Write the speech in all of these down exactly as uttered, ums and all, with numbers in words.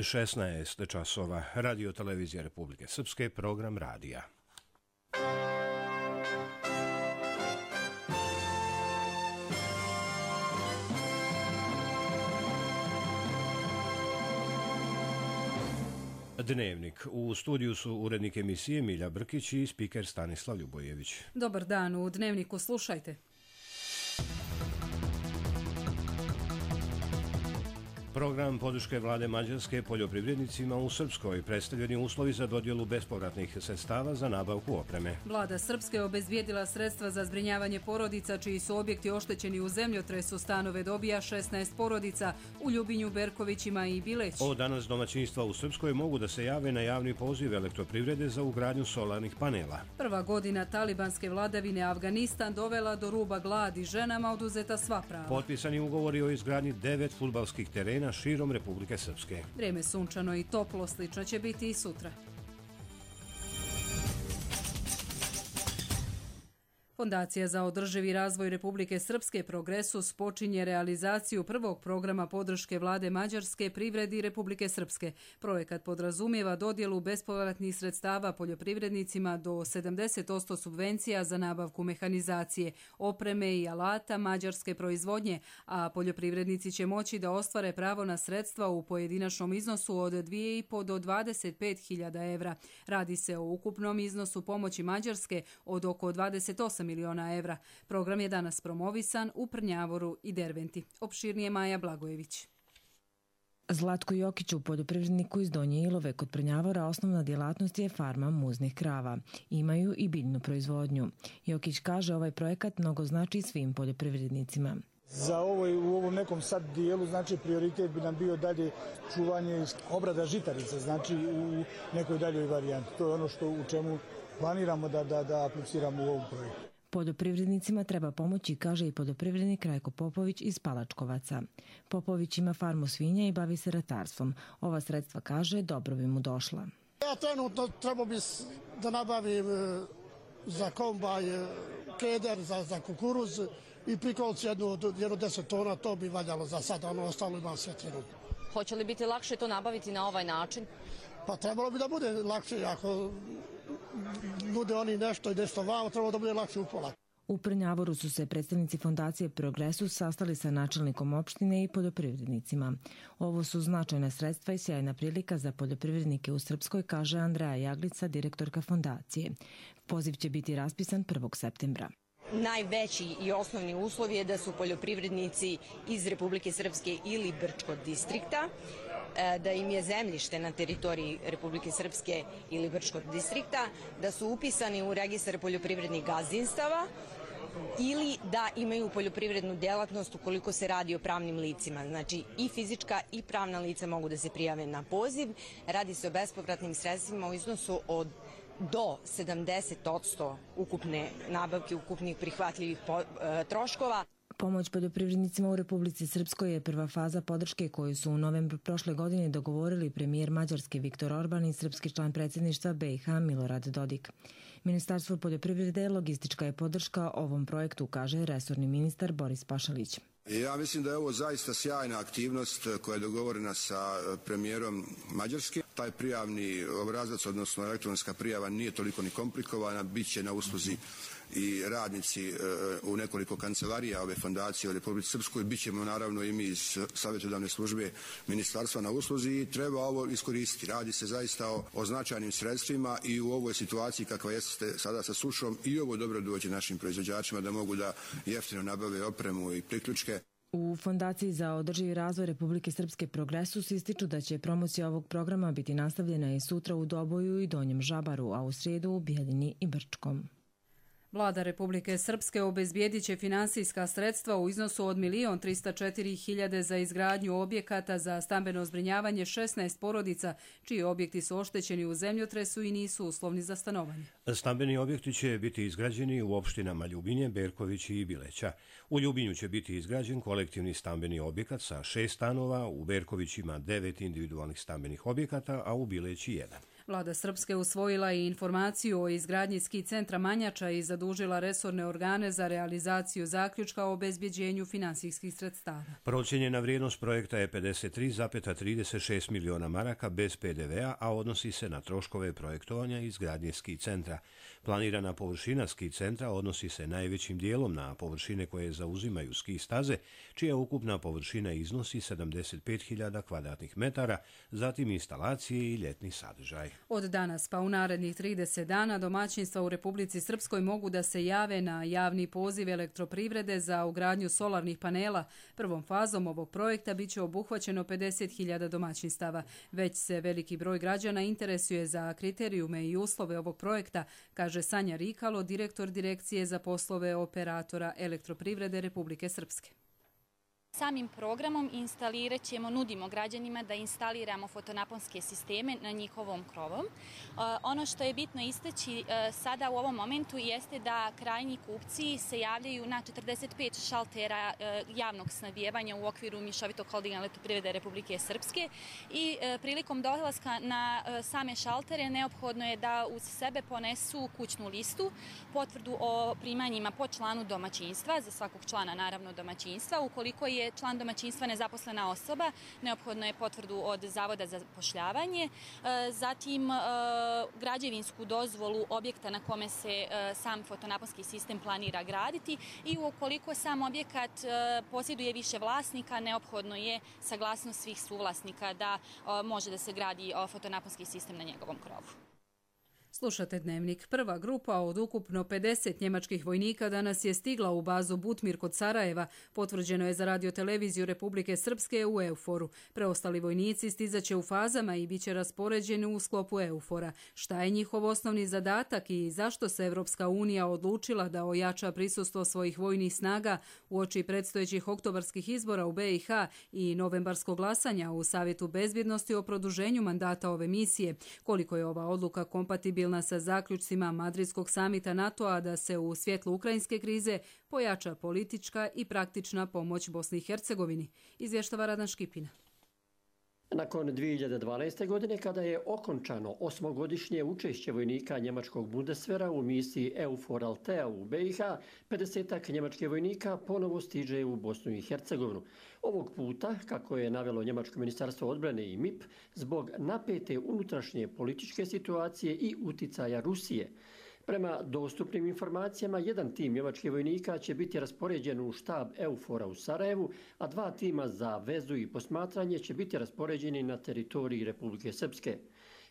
šesnaest časova, Radio Televizija Republike Srpske, program radija. Dnevnik. U studiju su urednik emisije Milja Brkić i spiker Stanislav Ljubojević. Dobar dan, u Dnevniku slušajte. Program podrške vlade Mađarske poljoprivrednicima u Srpskoj, predstavljeni uslovi za dodjelu bespovratnih sredstava za nabavku opreme. Vlada Srpske obezbijedila sredstva za zbrinjavanje porodica čiji su objekti oštećeni u zemljotresu. Stanove dobija šesnaest porodica u Ljubinju, Berkovićima i Bileći. Od danas domaćinstva u Srpskoj mogu da se jave na javni poziv elektroprivrede za ugradnju solarnih panela. Prva godina talibanske vladavine Afganistan dovela do ruba gladi, ženama oduzeta sva prava. Potpisani ugovori o izgradnji devet fudbalskih terena širom Republike Srpske. Vrijeme sunčano i toplo, slično će biti i sutra. Fondacija za održivi razvoj Republike Srpske Progresus počinje realizaciju prvog programa podrške vlade Mađarske privredi Republike Srpske. Projekat podrazumijeva dodjelu bespovratnih sredstava poljoprivrednicima do sedamdeset posto subvencija za nabavku mehanizacije, opreme i alata mađarske proizvodnje, a poljoprivrednici će moći da ostvare pravo na sredstva u pojedinačnom iznosu od dvije i po do dvadeset pet hiljada evra. Radi se o ukupnom iznosu pomoći Mađarske od oko dvadeset osam miliona evra. Program je danas promovisan u Prnjavoru i Derventi. Opširnije Maja Blagojević. Zlatko Jokić, u poljoprivredniku iz Donje Ilove kod Prnjavora, osnovna djelatnost je farma muznih krava. Imaju i biljnu proizvodnju. Jokić kaže ovaj projekat mnogo znači svim poljoprivrednicima. Za ovo u ovom nekom sad dijelu, znači prioritet bi nam bio dalje čuvanje obrada žitarica, znači u nekoj daljoj varijanti. To je ono što u čemu planiramo da, da, da apliciramo u ovom projektu. Poljoprivrednicima treba pomoći, kaže i poljoprivrednik Rajko Popović iz Palačkovaca. Popović ima farmu svinja i bavi se ratarstvom. Ova sredstva, kaže, dobro bi mu došla. Ja trenutno treba bi da nabavim za kombaj keder, za, za kukuruz i prikolci jednu, jednu deset tona, to bi valjalo za sada, ono ostalo imam sve trenutno. Hoće li biti lakše to nabaviti na ovaj način? Pa trebalo bi da bude lakše, ako nude oni nešto i nešto vamo, trebalo da bude lakše upola. U Prnjavoru su se predstavnici fondacije Progresus sastali sa načelnikom opštine i poljoprivrednicima. Ovo su značajna sredstva i sjajna prilika za poljoprivrednike u Srpskoj, kaže Andreja Jaglica, direktorka fondacije. Poziv će biti raspisan prvog septembra. Najveći i osnovni uslov je da su poljoprivrednici iz Republike Srpske ili Brčkog distrikta, da im je zemljište na teritoriji Republike Srpske ili Brčkog distrikta, da su upisani u registar poljoprivrednih gazdinstava ili da imaju poljoprivrednu djelatnost ukoliko se radi o pravnim licima. Znači i fizička i pravna lica mogu da se prijave na poziv. Radi se o bespovratnim sredstvima u iznosu od do sedamdeset posto ukupne nabavke, ukupnih prihvatljivih troškova. Pomoć poljoprivrednicima u Republici Srpskoj je prva faza podrške koju su u novembru prošle godine dogovorili premijer Mađarske Viktor Orban i srpski član predsjedništva B i H Milorad Dodik. Ministarstvo poljoprivrede logistička je podrška ovom projektu, kaže resorni ministar Boris Pašalić. Ja mislim da je ovo zaista sjajna aktivnost koja je dogovorena sa premijerom Mađarske. Taj prijavni obrazac, odnosno elektronska prijava, nije toliko ni komplikovana, bit će na usluzi i radnici u nekoliko kancelarija ove fondacije u Republici Srpskoj, bit ćemo naravno i mi iz savjetodavne službe ministarstva na usluzi i treba ovo iskoristiti. Radi se zaista o, o značajnim sredstvima i u ovoj situaciji kakva jeste sada sa sušom i ovo dobro dođe našim proizvođačima da mogu da jeftino nabave opremu i priključke. U Fondaciji za održivi razvoj Republike Srpske Progresus ističu da će promocija ovog programa biti nastavljena i sutra u Doboju i Donjem Žabaru, a u srijedu u Bijeljini i Brčkom. Vlada Republike Srpske obezbijedit će finansijska sredstva u iznosu od milion trista četiri hiljade za izgradnju objekata za stambeno zbrinjavanje šesnaest porodica, čiji objekti su oštećeni u zemljotresu i nisu uslovni za stanovanje. Stambeni objekti će biti izgrađeni u opštinama Ljubinje, Berković i Bileća. U Ljubinju će biti izgrađen kolektivni stambeni objekat sa šest stanova, u Berkovićima devet individualnih stambenih objekata, a u Bileći jedan. Vlada Srpske usvojila i informaciju o izgradnji ski centra Manjača i zadužila resorne organe za realizaciju zaključka o obezbjeđenju finansijskih sredstava. Procijenjena vrijednost projekta je pedeset tri zarez trideset šest miliona maraka bez pe de vea, a odnosi se na troškove projektovanja i izgradnje ski centra. Planirana površina ski centra odnosi se najvećim dijelom na površine koje zauzimaju ski staze, čija ukupna površina iznosi sedamdeset pet hiljada kvadratnih metara, zatim instalacije i ljetni sadržaj. Od danas pa u narednih trideset dana domaćinstva u Republici Srpskoj mogu da se jave na javni poziv elektroprivrede za ugradnju solarnih panela. Prvom fazom ovog projekta biće obuhvaćeno pedeset hiljada domaćinstava. Već se veliki broj građana interesuje za kriterijume i uslove ovog projekta, kaže Sanja Rikalo, direktor Direkcije za poslove operatora elektroprivrede Republike Srpske. Samim programom instalirat ćemo, nudimo građanima da instaliramo fotonaponske sisteme na njihovom krovom. Ono što je bitno istaći sada u ovom momentu jeste da krajnji kupci se javljaju na četrdeset pet šaltera javnog snabdijevanja u okviru Mješovitog holdinga elektroprivrede Republike Srpske i prilikom dolaska na same šaltere neophodno je da uz sebe ponesu kućnu listu, potvrdu o primanjima po članu domaćinstva, za svakog člana naravno domaćinstva. Ukoliko je član domaćinstva nezaposlena osoba, neophodno je potvrdu od Zavoda za zapošljavanje, zatim građevinsku dozvolu objekta na kome se sam fotonaponski sistem planira graditi i ukoliko sam objekat posjeduje više vlasnika, neophodno je saglasnost svih suvlasnika da može da se gradi fotonaponski sistem na njegovom krovu. Slušate Dnevnik. Prva grupa od ukupno pedeset njemačkih vojnika danas je stigla u bazu Butmir kod Sarajeva. Potvrđeno je za radioteleviziju Republike Srpske u EUFOR-u. Preostali vojnici stizaće u fazama i bit će raspoređeni u sklopu EUFOR-a. Šta je njihov osnovni zadatak i zašto se Evropska unija odlučila da ojača prisustvo svojih vojnih snaga uoči predstojećih oktobarskih izbora u be i ha i novembarskog glasanja u Savjetu bezbjednosti o produženju mandata ove misije? Koliko je ova odluka kompatibilna sa zaključcima Madridskog samita NATO-a da se u svjetlu ukrajinske krize pojača politička i praktična pomoć Bosni i Hercegovini, izvještava Radan Škipina. Nakon dvije hiljade dvanaeste. godine, kada je okončano osmogodišnje učešće vojnika njemačkog Bundeswehra u misiji EUFOR Althea u be i ha, pedesetak njemačkih vojnika ponovo stiže u Bosnu i Hercegovinu. Ovog puta, kako je navelo njemačko ministarstvo odbrane i em i pe, zbog napete unutrašnje političke situacije i uticaja Rusije. Prema dostupnim informacijama, jedan tim njemačkih vojnika će biti raspoređen u štab EUFOR-a u Sarajevu, a dva tima za vezu i posmatranje će biti raspoređeni na teritoriji Republike Srpske.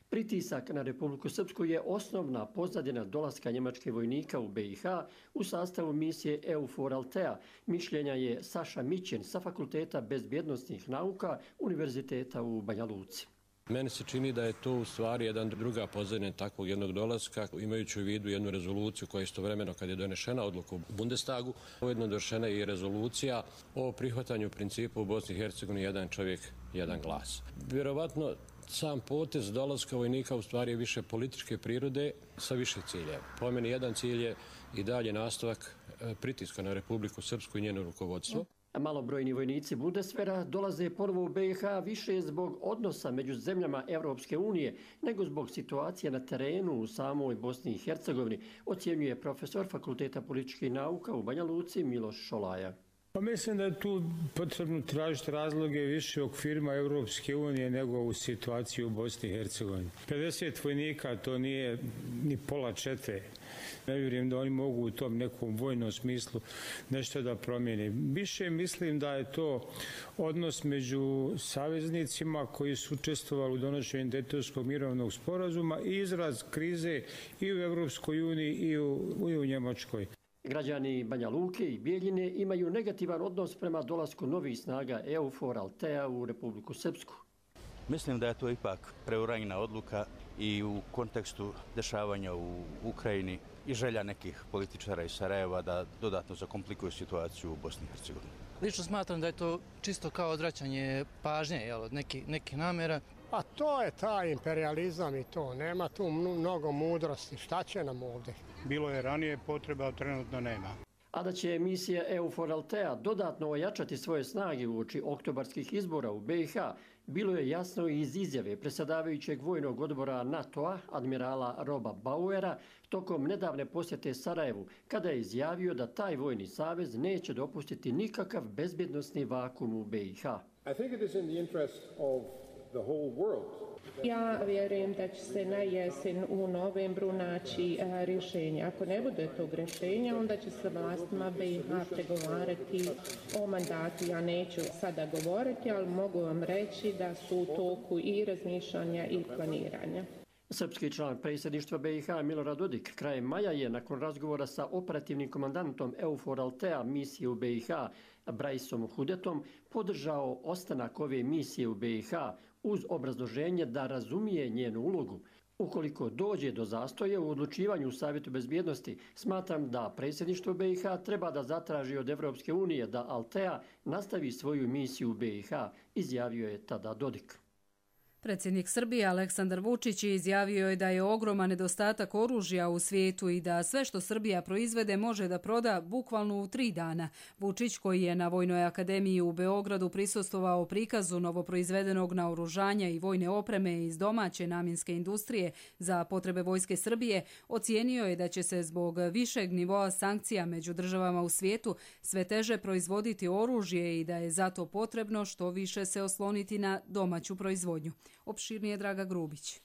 Pritisak na Republiku Srpsku je osnovna pozadina dolaska njemačkih vojnika u be i ha u sastavu misije EUFOR Althea. Mišljenja je Saša Mićen sa Fakulteta bezbjednosnih nauka Univerziteta u Banja Luci. Meni se čini da je to u stvari jedan druga pozadina takvog jednog dolaska, imajući u vidu jednu rezoluciju koja je istovremeno, kad je donešena odluka u Bundestagu, ujedno donešena i rezolucija o prihvatanju principa u Bosni i Hercegovini jedan čovjek, jedan glas. Vjerovatno sam potez dolaska vojnika u stvari je više političke prirode sa više ciljeva. Po meni jedan cilj je i dalje nastavak pritiska na Republiku Srpsku i njeno rukovodstvo. Malobrojni vojnici Bundeswehra dolaze ponovo u be i ha više zbog odnosa među zemljama Evropske unije nego zbog situacije na terenu u samoj Bosni i Hercegovini, ocjenjuje profesor Fakulteta političkih nauka u Banja Luci Miloš Šolaja. Pa mislim da je tu potrebno tražiti razloge više u okvirima Evropske unije nego u situaciji u Bosni i Hercegovini. pedeset vojnika to nije ni pola četve. Ne vjerujem da oni mogu u tom nekom vojnom smislu nešto da promijene. Više mislim da je to odnos među saveznicima koji su učestvovali u donošenju Dejtonskog mirovnog sporazuma i izraz krize i u Evropskoj uniji i u, i u Njemačkoj. Građani Banja Luke i Bijeljine imaju negativan odnos prema dolasku novih snaga EUFOR Althea u Republiku Srpsku. Mislim da je to ipak preuranjena odluka i u kontekstu dešavanja u Ukrajini i želja nekih političara iz Sarajeva da dodatno zakomplikuju situaciju u Bosni i Hercegovini. Lično smatram da je to čisto kao odvraćanje pažnje, jel, od nekih, nekih namjera. A to je taj imperializam i to. Nema tu mnogo mudrosti. Šta će nam ovdje? Bilo je ranije potreba, a trenutno nema. A da će misija EUFOR Althea dodatno ojačati svoje snage uoči oktobarskih izbora u be i ha, bilo je jasno i iz izjave predsjedavajućeg vojnog odbora NATO-a, admirala Roba Bauera, tokom nedavne posjete Sarajevu, kada je izjavio da taj vojni savez neće dopustiti nikakav bezbjednosni vakum u B i H. I think it is in the interest of the whole world. Ja vjerujem da će se na jesen u novembru naći a, rješenje. Ako ne bude tog rješenja, onda će se vlastima B i H pregovarati o mandatu. Ja neću sada govoriti, ali mogu vam reći da su u toku i razmišljanja i planiranja. Srpski član predsjedništva B i H Milorad Dodik krajem maja je nakon razgovora sa operativnim komandantom EUFOR Altea misije u B i H Brajsom Hudetom podržao ostanak ove misije u B i H uz obrazloženje da razumije njenu ulogu. Ukoliko dođe do zastoja u odlučivanju u Savjetu bezbjednosti, smatram da predsjedništvo B i H treba da zatraži od Evropske unije da Altea nastavi svoju misiju u B i H, izjavio je tada Dodik. Predsjednik Srbije Aleksandar Vučić izjavio je da je ogroman nedostatak oružja u svijetu i da sve što Srbija proizvede može da proda bukvalno u tri dana. Vučić, koji je na Vojnoj akademiji u Beogradu prisustvovao prikazu novoproizvedenog naoružanja i vojne opreme iz domaće namjenske industrije za potrebe Vojske Srbije, ocijenio je da će se zbog višeg nivoa sankcija među državama u svijetu sve teže proizvoditi oružje i da je zato potrebno što više se osloniti na domaću proizvodnju. Opširnije Draga Grubić.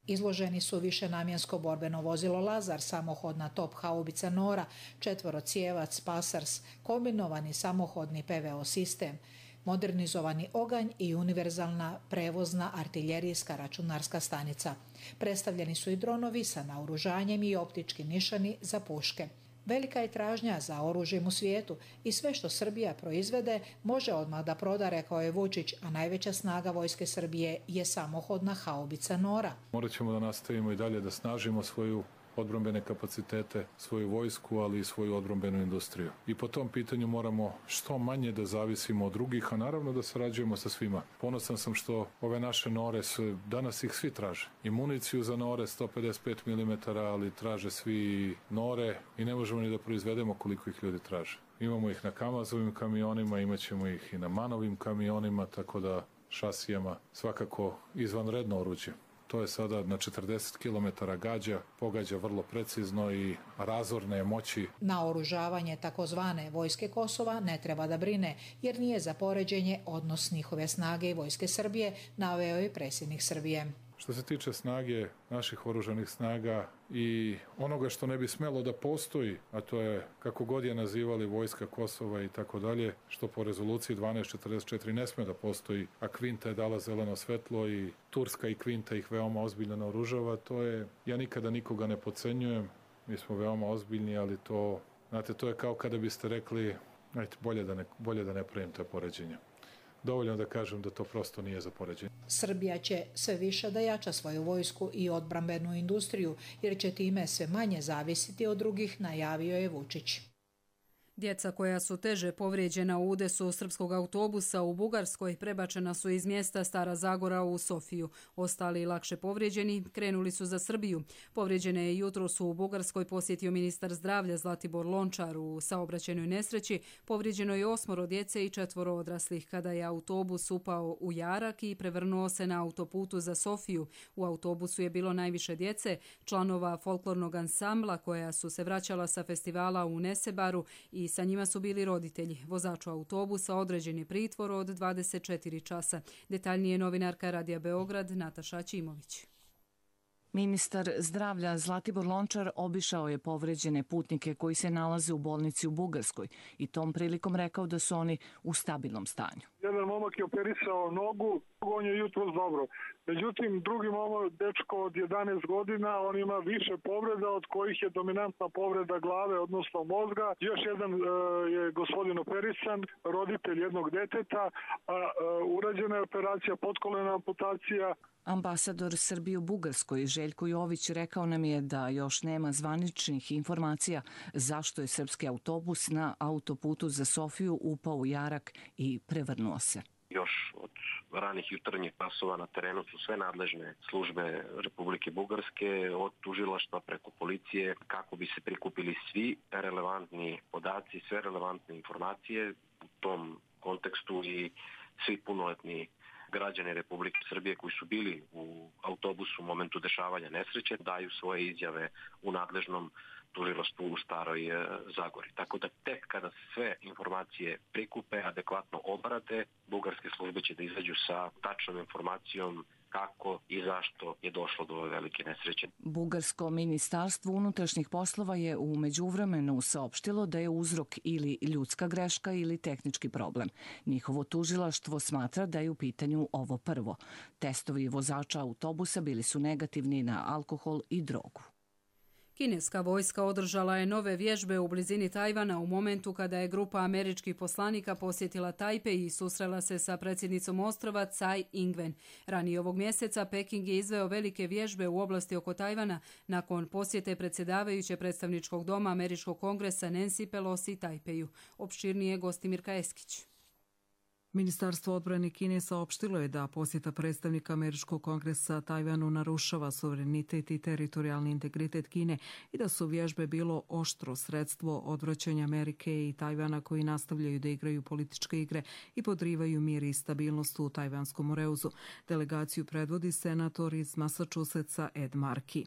Izloženi su višenamjensko borbeno vozilo Lazar, samohodna top haubica Nora, četvorocijevac Pasars, kombinovani samohodni P V O sistem, modernizovani oganj i univerzalna prevozna artiljerijska računarska stanica. Predstavljeni su i dronovi sa naoružanjem i optički nišani za puške. Velika je tražnja za oružjem u svijetu i sve što Srbija proizvede može odmah da proda, rekao je Vučić, a najveća snaga Vojske Srbije je samohodna haubica Nora. Morat ćemo da nastavimo i dalje da snažimo svoju odbrambene kapacitete, svoju vojsku, ali i svoju odbrambenu industriju. I po tom pitanju moramo što manje da zavisimo od drugih, a naravno da sarađujemo sa svima. Ponosan sam što ove naše Nore, su, danas ih svi traže. I municiju za Nore sto pedeset pet milimetara, ali traže svi Nore i ne možemo ni da proizvedemo koliko ih ljudi traže. Imamo ih na Kamazovim kamionima, imat ćemo ih i na Manovim kamionima, tako da šasijama svakako izvanredno oruđe. To je sada na četrdeset kilometara gađa, pogađa vrlo precizno i razorne je moći. Naoružavanje takozvane Vojske Kosova ne treba da brine, jer nije za poređenje odnos njihove snage i Vojske Srbije, naveo je predsjednik Srbije. Što se tiče snage naših oružanih snaga i onoga što ne bi smelo da postoji, a to je kako god je nazivali Vojska Kosova i tako dalje, što po rezoluciji dvanaest četrdeset četiri ne sme da postoji, a Kvinta je dala zeleno svetlo i Turska i Kvinta ih veoma ozbiljno naoružava, to je, ja nikada nikoga ne podcenjujem, mi smo veoma ozbiljni, ali to, znate, to je kao kada biste rekli, ajte, bolje da ne, bolje da ne pravim te poređenja. Dovoljno da kažem da to prosto nije za poređenje. Srbija će sve više da jača svoju vojsku i odbrambenu industriju, jer će time sve manje zavisiti od drugih, najavio je Vučić. Djeca koja su teže povrijeđena u udesu srpskog autobusa u Bugarskoj prebačena su iz mjesta Stara Zagora u Sofiju. Ostali lakše povrijeđeni krenuli su za Srbiju. Povrijeđene je jutros u Bugarskoj posjetio ministar zdravlja Zlatibor Lončar. U saobraćajnoj nesreći povrijeđeno je osmoro djece i četvoro odraslih kada je autobus upao u jarak i prevrnuo se na autoputu za Sofiju. U autobusu je bilo najviše djece, članova folklornog ansambla koja su se vraćala sa festivala u Nesebaru i i sa njima su bili roditelji. Vozaču autobusa određen je pritvor od dvadeset četiri časa. Detaljnije novinarka Radija Beograd Nataša Ćimović. Ministar zdravlja Zlatibor Lončar obišao je povređene putnike koji se nalaze u bolnici u Bugarskoj i tom prilikom rekao da su oni u stabilnom stanju. Jedan momak je operisao nogu, on je jutros dobro. Međutim, drugi momak, dečko od jedanaest godina, on ima više povreda, od kojih je dominantna povreda glave, odnosno mozga. Još jedan e, je gospodin operisan, roditelj jednog deteta, a e, urađena je operacija, potkolena amputacija. Ambasador Srbije u Bugarskoj Željko Jović rekao nam je da još nema zvaničnih informacija zašto je srpski autobus na autoputu za Sofiju upao u jarak i prevrnuo se. Još od ranih jutarnjih časova na terenu su sve nadležne službe Republike Bugarske, od tužilaštva preko policije, kako bi se prikupili svi relevantni podaci, sve relevantne informacije u tom kontekstu i svi punoletni građani Republike Srbije koji su bili u autobusu u momentu dešavanja nesreće daju svoje izjave u nadležnom tužilaštvu u Staroj Zagori. Tako da tek kada sve informacije prikupe, adekvatno obrade, bugarske službe će da izađu sa tačnom informacijom kako i zašto je došlo do ove velike nesreće. Bugarsko ministarstvo unutrašnjih poslova je u međuvremenu saopštilo da je uzrok ili ljudska greška ili tehnički problem. Njihovo tužilaštvo smatra da je u pitanju ovo prvo. Testovi vozača autobusa bili su negativni na alkohol i drogu. Kineska vojska održala je nove vježbe u blizini Tajvana u momentu kada je grupa američkih poslanika posjetila Tajpej i susrela se sa predsjednicom ostrva Tsai Ing-wen. Ranije ovog mjeseca Peking je izveo velike vježbe u oblasti oko Tajvana nakon posjete predsjedavajuće predstavničkog doma Američkog kongresa Nancy Pelosi Tajpeju. Opširnije Gostimirka Eskić. Ministarstvo odbrane Kine saopštilo je da posjeta predstavnika Američkog kongresa Tajvanu narušava suverenitet i teritorijalni integritet Kine i da su vježbe bilo oštro sredstvo odvraćanja Amerike i Tajvana koji nastavljaju da igraju političke igre i podrivaju mir i stabilnost u tajvanskom Moreuzu. Delegaciju predvodi senator iz Massachusettsa Ed Markey.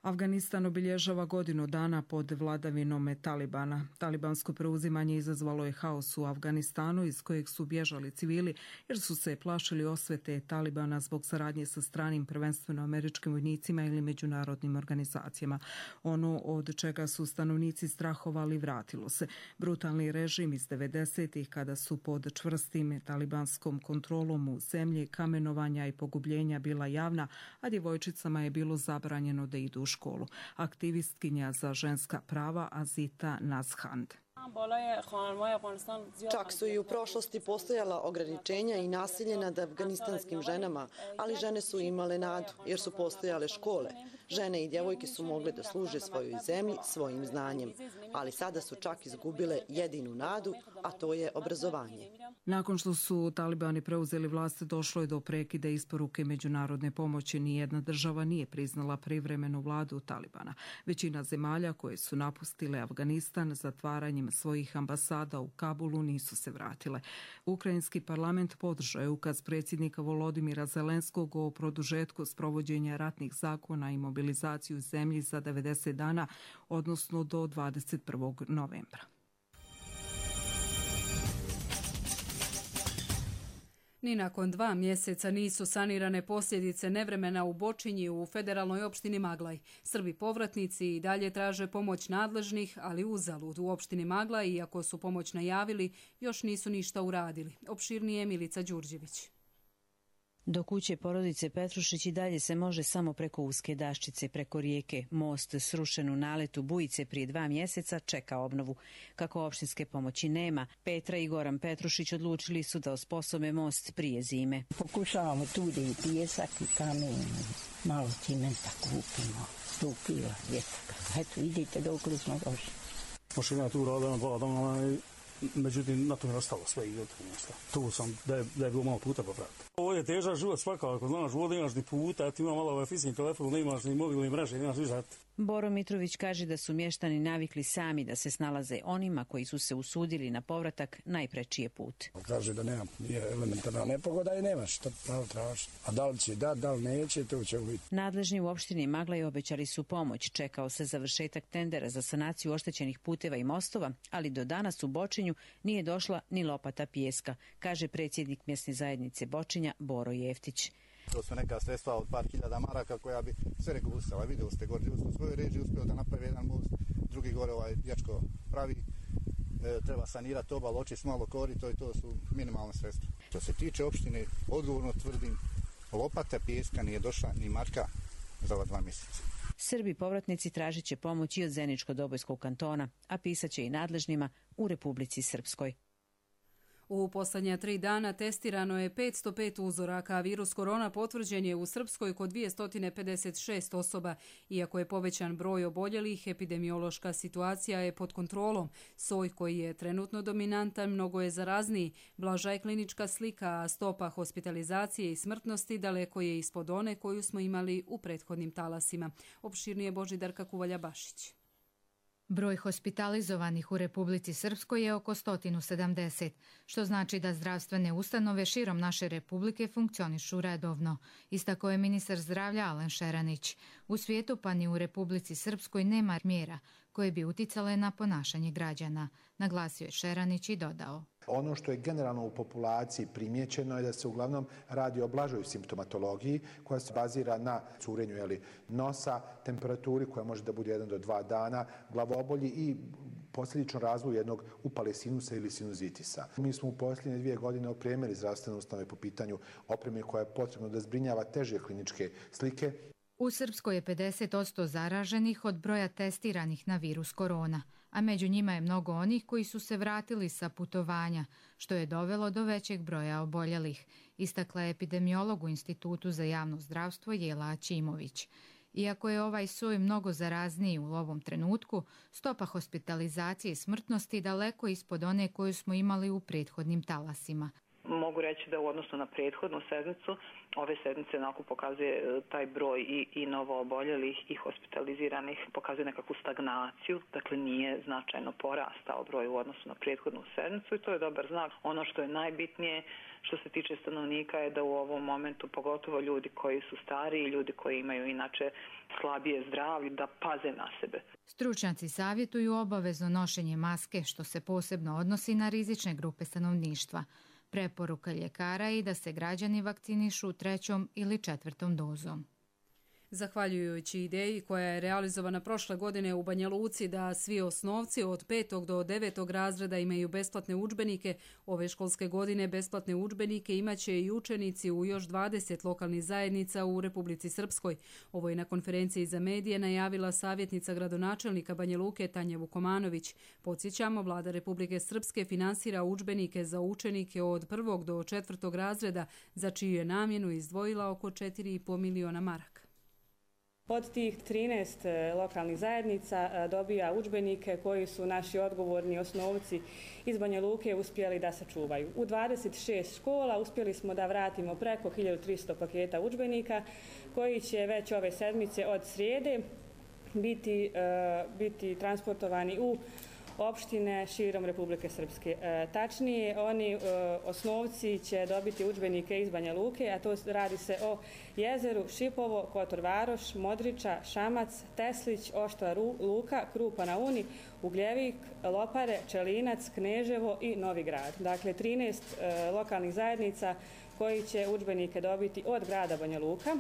Afganistan obilježava godinu dana pod vladavinom Talibana. Talibansko preuzimanje izazvalo je haos u Afganistanu iz kojeg su bježali civili jer su se plašili osvete Talibana zbog saradnje sa stranim, prvenstveno američkim vojnicima ili međunarodnim organizacijama. Ono od čega su stanovnici strahovali vratilo se. Brutalni režim iz devedesetih kada su pod čvrstim talibanskom kontrolom u zemlji kamenovanja i pogubljenja bila javna, a djevojčicama je bilo zabranjeno da idu u školu. Aktivistkinja za ženska prava Azita Nazhand. Čak su i u prošlosti postojala ograničenja i nasilje nad afganistanskim ženama, ali žene su imale nadu jer su postojale škole. Žene i djevojke su mogle da služe svojoj zemlji svojim znanjem, ali sada su čak izgubile jedinu nadu, a to je obrazovanje. Nakon što su talibani preuzeli vlast, došlo je do prekida isporuke međunarodne pomoći. Nijedna država nije priznala privremenu vladu Talibana. Većina zemalja koje su napustile Afganistan zatvaranjem svojih ambasada u Kabulu nisu se vratile. Ukrajinski parlament podržao je ukaz predsjednika Volodimira Zelenskog o produžetku sprovođenja ratnih zakona i mobilizaciju u zemlji za devedeset dana, odnosno do dvadeset prvog novembra. Ni nakon dva mjeseca nisu sanirane posljedice nevremena u Bočinji u federalnoj opštini Maglaj. Srbi povratnici i dalje traže pomoć nadležnih, ali uzalud. U opštini Maglaj, iako su pomoć najavili, još nisu ništa uradili. Opširnije Milica Đurđević. Do kuće porodice Petrušić i dalje se može samo preko uske daščice, preko rijeke. Most srušen u naletu bujice prije dva mjeseca čeka obnovu. Kako opštinske pomoći nema, Petra i Goran Petrušić odlučili su da osposobe most prije zime. Pokušavamo tu da i pijesak i kamen, malo cimenta kupimo, sto kila vjetaka. Eto, idite dok li smo došli. Mašina tu radila dva dana, međutim, na to je ostalo sve i gotovo nešto. Tu sam, da je, da je bilo malo puta popraviti. Ovo je težak život svakako, znaš, ovdje nemaš ni puta, ti ima malo ovaj fiksni telefon, nemaš ni mobilne mreže, nemaš ništa. Boro Mitrović kaže da su mještani navikli sami da se snalaze onima koji su se usudili na povratak najprečije put. Kaže da nema, nije elementarna nepogoda i nemaš što pravo traži. A da li će da, da li neće, to ćemo vidjeti. Nadležni u opštini Maglaj obećali su pomoć. Čekao se završetak tendera za sanaciju oštećenih puteva i mostova, ali do danas u Bočinju nije došla ni lopata pijeska, kaže predsjednik mjesne zajednice Bočinja Boro Jeftić. To su neka sredstva od par hiljada maraka koja bi sve regulisala. Vidjeli ste gore, u svojoj režiji uspio da napravi jedan most, drugi gore ovaj dječko pravi. E, treba sanirati obal, očist malo korito i to su minimalne sredstva. Što se tiče opštine, odgovorno tvrdim, lopata pijeska nije došla ni marka za ova dva mjeseca. Srbi povratnici tražit će pomoć i od Zeničko-Dobojskog kantona, a pisat će i nadležnima u Republici Srpskoj. U posljednja tri dana testirano je petsto pet uzoraka, a virus korona potvrđen je u Srpskoj kod dvjesto pedeset šest osoba. Iako je povećan broj oboljelih, epidemiološka situacija je pod kontrolom. Soj koji je trenutno dominantan mnogo je zarazniji. Blaža je klinička slika, a stopa hospitalizacije i smrtnosti daleko je ispod one koju smo imali u prethodnim talasima. Opširnije Božidarka Kuvalja-Bašić. Broj hospitalizovanih u Republici Srpskoj je oko sto sedamdeset, što znači da zdravstvene ustanove širom naše republike funkcionišu redovno, istakao je ministar zdravlja Alen Šeranić. U svijetu pa ni u Republici Srpskoj nema mjera koje bi uticale na ponašanje građana, naglasio je Šeranić i dodao. Ono što je generalno u populaciji primjećeno je da se uglavnom radi o blažoj simptomatologiji koja se bazira na curenju jeli, nosa, temperaturi koja može da bude jedan do dva dana, glavobolji i posljedično razvoju jednog upale sinusa ili sinuzitisa. Mi smo u posljednje dvije godine opremili zdravstvene ustanove po pitanju opreme koja je potrebno da zbrinjava teže kliničke slike. U Srpskoj je pedeset posto zaraženih od broja testiranih na virus korona, a među njima je mnogo onih koji su se vratili sa putovanja, što je dovelo do većeg broja oboljelih, istakla je epidemiolog u Institutu za javno zdravstvo Jela Aćimović. Iako je ovaj soj mnogo zarazniji u ovom trenutku, stopa hospitalizacije i smrtnosti daleko ispod one koju smo imali u prethodnim talasima. Mogu reći da u odnosu na prethodnu sedmicu, ove sedmice onako pokazuje taj broj i, i novo oboljelih i hospitaliziranih, pokazuje nekakvu stagnaciju, dakle nije značajno porastao broj u odnosu na prethodnu sedmicu i to je dobar znak. Ono što je najbitnije što se tiče stanovnika je da u ovom momentu, pogotovo ljudi koji su stariji i ljudi koji imaju inače slabije zdravlje, da paze na sebe. Stručnjaci savjetuju obavezno nošenje maske, što se posebno odnosi na rizične grupe stanovništva. Preporuka ljekara je i da se građani vakcinišu trećom ili četvrtom dozom. Zahvaljujući ideji koja je realizovana prošle godine u Banja Luci da svi osnovci od petog do devetog razreda imaju besplatne udžbenike, ove školske godine besplatne udžbenike imaće i učenici u još dvadeset lokalnih zajednica u Republici Srpskoj. Ovo je na konferenciji za medije najavila savjetnica gradonačelnika Banja Luke Tanja Vukomanović. Podsjećamo, vlada Republike Srpske finansira udžbenike za učenike od prvog do četvrtog razreda, za čiju je namjenu izdvojila oko četiri i po miliona maraka. Od tih trinaest lokalnih zajednica dobija udžbenike koji su naši odgovorni osnovci iz Banja Luke uspjeli da sačuvaju. U dvadeset šest škola uspjeli smo da vratimo preko hiljadu tristo paketa udžbenika koji će već ove sedmice od srijede biti, biti transportovani u opštine širom Republike Srpske. E, tačnije, oni e, osnovci će dobiti udžbenike iz Banja Luke, a to radi se o Jezeru, Šipovo, Kotor Varoš, Modriča, Šamac, Teslić, Oštra Luka, Krupa na Uni, Ugljevik, Lopare, Čelinac, Kneževo i Novi Grad. Dakle, trinaest e, lokalnih zajednica koji će udžbenike dobiti od grada Banja Luka.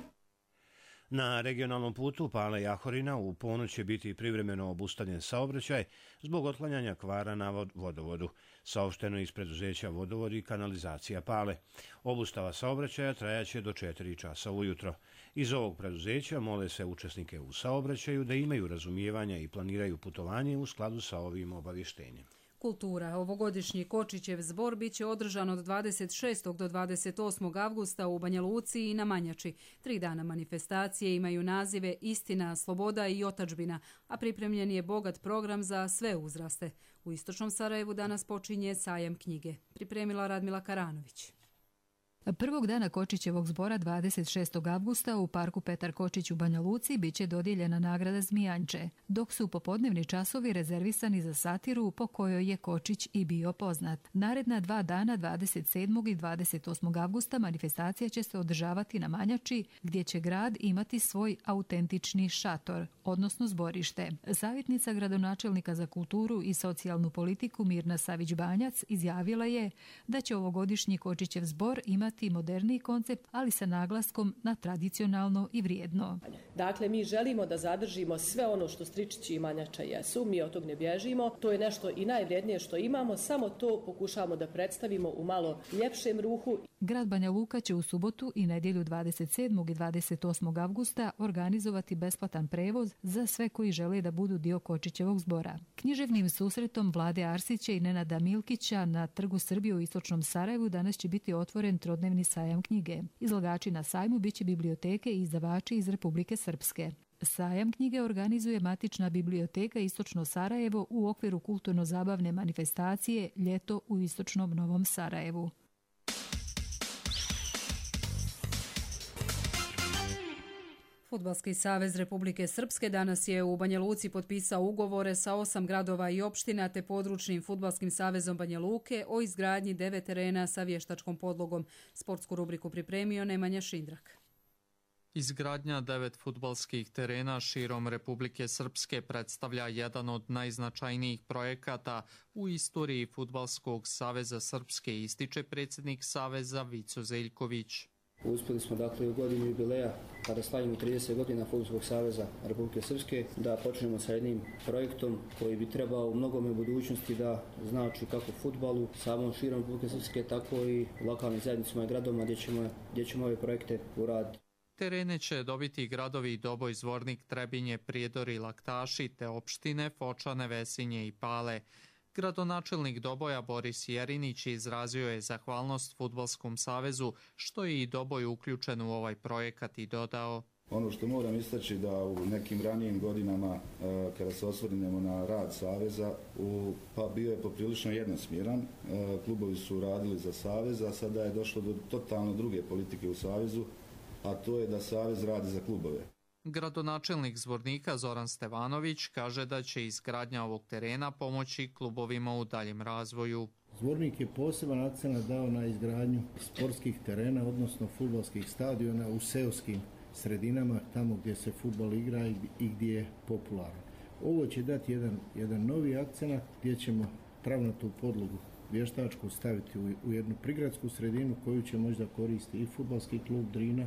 Na regionalnom putu Pale-Jahorina u ponoć će biti privremeno obustavljen saobraćaj zbog otklanjanja kvara na vodovodu, saopšteno iz preduzeća Vodovod i kanalizacija Pale. Obustava saobraćaja trajaće do četiri časa ujutro. Iz ovog preduzeća mole se učesnike u saobraćaju da imaju razumijevanja i planiraju putovanje u skladu sa ovim obavještenjem. Kultura. Ovogodišnji Kočićev zbor biće održan od dvadeset šestog do dvadeset osmog avgusta u Banja Luci i na Manjači. Tri dana manifestacije imaju nazive Istina, sloboda i otadžbina, a pripremljen je bogat program za sve uzraste. U istočnom Sarajevu danas počinje sajam knjige. Pripremila Radmila Karanović. Prvog dana Kočićevog zbora dvadeset šestog avgusta u parku Petar Kočić u Banja Luci biće dodijeljena nagrada Zmijanče, dok su popodnevni časovi rezervisani za satiru po kojoj je Kočić i bio poznat. Naredna dva dana dvadeset sedmog i dvadeset osmog avgusta manifestacija će se održavati na Manjači, gdje će grad imati svoj autentični šator, odnosno zborište. Savjetnica gradonačelnika za kulturu i socijalnu politiku Mirna Savić-Banjac izjavila je da će ovogodišnji Kočićev zbor imati moderniji koncept, ali sa naglaskom na tradicionalno i vrijedno. Dakle, mi želimo da zadržimo sve ono što Stričići i Manjača jesu, mi od tog ne bježimo, to je nešto i najvrijednije što imamo, samo to pokušavamo da predstavimo u malo ljepšem ruhu. Grad Banja Luka će u subotu i nedjelju dvadeset sedmog i dvadeset osmog avgusta organizovati besplatan prevoz za sve koji žele da budu dio Kočićevog zbora. Književnim susretom Vlade Arsića i Nenada Milkića na Trgu Srbije u istočnom Sarajevu danas će biti otvoren trodnevni sajam knjige. Izlagači na sajmu biće biblioteke i izdavači iz Republike Srpske. Sajam knjige organizuje matična biblioteka Istočno Sarajevo u okviru kulturno-zabavne manifestacije Ljeto u istočnom Novom Sarajevu. Fudbalski savez Republike Srpske danas je u Banja Luci potpisao ugovore sa osam gradova i opština te područnim fudbalskim savezom Banja Luke o izgradnji devet terena sa vještačkom podlogom. Sportsku rubriku pripremio Nemanja Šindrak. Izgradnja devet fudbalskih terena širom Republike Srpske predstavlja jedan od najznačajnijih projekata u istoriji Fudbalskog saveza Srpske, ističe predsjednik saveza Vico Zeljković. Uspjeli smo dakle u godinu jubileja, kada slavimo trideset godina Fudbalskog saveza Republike Srpske, da počnemo sa jednim projektom koji bi trebao u mnogome budućnosti da znači kako fudbalu, samom širom Republike Srpske, tako i lokalnim zajednicama i gradovima gdje ćemo, gdje ćemo ove projekte uraditi. Terene će dobiti gradovi Doboj, Zvornik, Trebinje, Prijedor i Laktaši, te opštine Fočane, Vesinje i Pale. Gradonačelnik Doboja Boris Jerinić izrazio je zahvalnost Fudbalskom savezu što je i Doboj uključen u ovaj projekat i dodao: Ono što moram istaći da u nekim ranijim godinama, kada se osvrnemo na rad saveza, pa bio je poprilično jednosmjeran. Klubovi su radili za savez, a sada je došlo do totalno druge politike u savezu, a to je da savez radi za klubove. Gradonačelnik Zvornika Zoran Stevanović kaže da će izgradnja ovog terena pomoći klubovima u daljem razvoju. Zvornik je poseban akcenat dao na izgradnju sportskih terena, odnosno fudbalskih stadiona u seoskim sredinama, tamo gdje se fudbal igra i gdje je popularan. Ovo će dati jedan, jedan novi akcenat gdje ćemo travnatu podlogu vještačku staviti u, u jednu prigradsku sredinu koju će možda koristiti i fudbalski klub Drina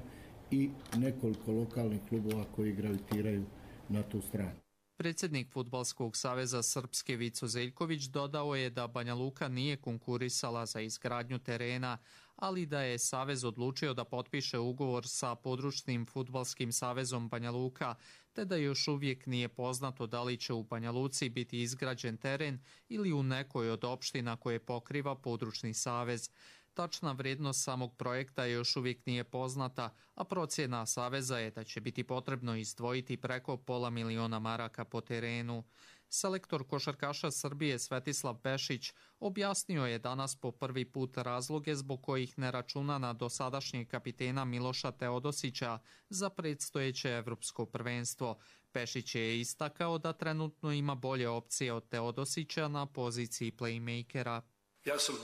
i nekoliko lokalnih klubova koji gravitiraju na tu stranu. Predsjednik Fudbalskog saveza Srpske Vico Zeljković dodao je da Banja Luka nije konkurisala za izgradnju terena, ali da je savez odlučio da potpiše ugovor sa područnim fudbalskim savezom Banja Luka, te da još uvijek nije poznato da li će u Banja Luci biti izgrađen teren ili u nekoj od opština koje pokriva područni savez. Tačna vrijednost samog projekta još uvijek nije poznata, a procjena saveza je da će biti potrebno izdvojiti preko pola miliona maraka po terenu. Selektor košarkaša Srbije Svetislav Pešić objasnio je danas po prvi put razloge zbog kojih ne računa na dosadašnjeg kapitena Miloša Teodosića za predstojeće evropsko prvenstvo. Pešić je istakao da trenutno ima bolje opcije od Teodosića na poziciji playmakera. Ja sam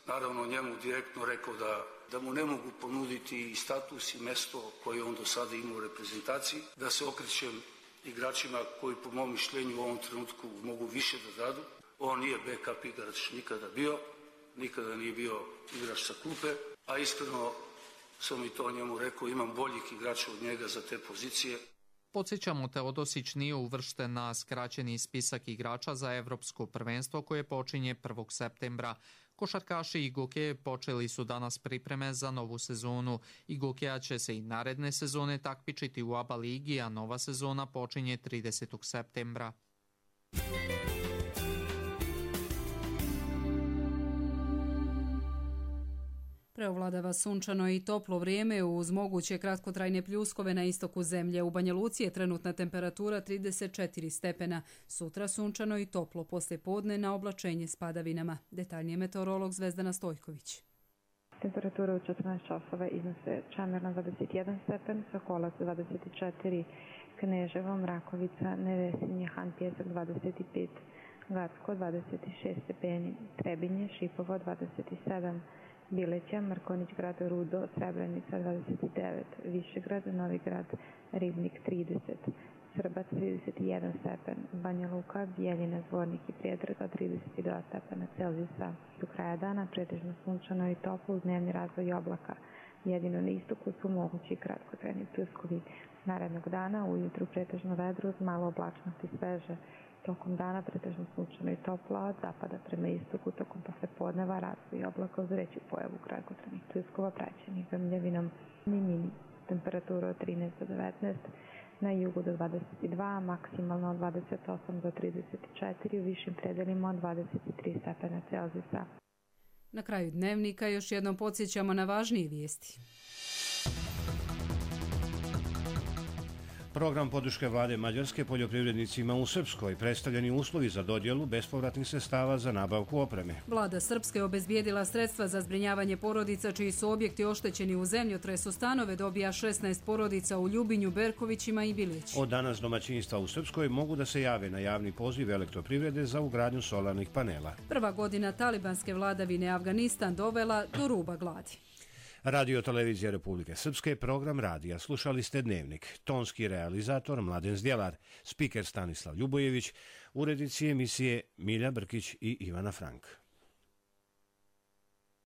naravno njemu direktno rekao da, da mu ne mogu ponuditi i status i mesto koje on do sada ima u reprezentaciji, da se okrećem igračima koji po mom mišljenju u ovom trenutku mogu više da dadu. On nije backup igrač nikada bio, nikada nije bio igrač sa klupe, a iskreno sam i to njemu rekao, imam boljih igrača od njega za te pozicije. Podsjećamo, Teodosić nije uvršten na skraćeni spisak igrača za evropsko prvenstvo koje počinje prvog septembra. Košarkaši i Gokeje počeli su danas pripreme za novu sezonu. I Gokeja će se i naredne sezone takmičiti u A B A ligi, a nova sezona počinje tridesetog septembra. Preovladava sunčano i toplo vrijeme uz moguće kratkotrajne pljuskove na istoku zemlje. U Banja Luci je trenutna temperatura trideset četiri stepena. Sutra sunčano i toplo, poslije podne na oblačenje s padavinama. Detaljnije meteorolog Zvezdana Stojković. Temperatura u četrnaest časova iznose Čamirna dvadeset jedan stepen, Sokolac dvadeset četiri, Kneževo, Mrakovica, Nevesinje, Han Pjesak dvadeset pet, Gacko dvadeset šest stepeni, Trebinje, Šipovo dvadeset sedam, Bileća, Mrkonić grad, Rudo, Srebrenica dvadeset devet, Višegrad, Novigrad, Ribnik trideset, Srbac trideset jedan stepen, Banja Luka, Bijeljina, Zvornik i Prijedor trideset dva stepena Celzijusa. Do kraja dana pretežno sunčano i toplo uz dnevni razvoj oblaka. Jedino na istoku su mogući kratkotrajni pljuskovi. Narednog dana ujutru pretežno vedro uz malo oblačnosti sveže. Tokom dana pretežno sunčano i toplo, od zapada prema istoku tokom poslepodneva razvoj oblaka uz veću pojavu kratkotrajnih pljuskova praćenih grmljavinom. Mini temperatura od trinaest do devetnaest, na jugu do dvadeset dva, maksimalno od dvadeset osam do trideset četiri, u višim predelima od dvadeset tri stepena Celzijusa. Na kraju dnevnika još jednom podsjećamo na važnije vijesti. Program podrške vlade Mađarske poljoprivrednicima u Srpskoj, predstavljeni uslovi za dodjelu bespovratnih sredstava za nabavku opreme. Vlada Srpske obezbijedila sredstva za zbrinjavanje porodica čiji su objekti oštećeni u zemljotresu. Stanove dobija šesnaest porodica u Ljubinju, Berkovićima i Bilići. Od danas domaćinstva u Srpskoj mogu da se jave na javni poziv elektroprivrede za ugradnju solarnih panela. Prva godina talibanske vladavine Afganistan dovela do ruba gladi. Radio Televizija Republike Srpske, program radija. Slušali ste Dnevnik. Tonski realizator Mladen Zdjelar, spiker Stanislav Ljubojević, urednici emisije Milja Brkić i Ivana Frank.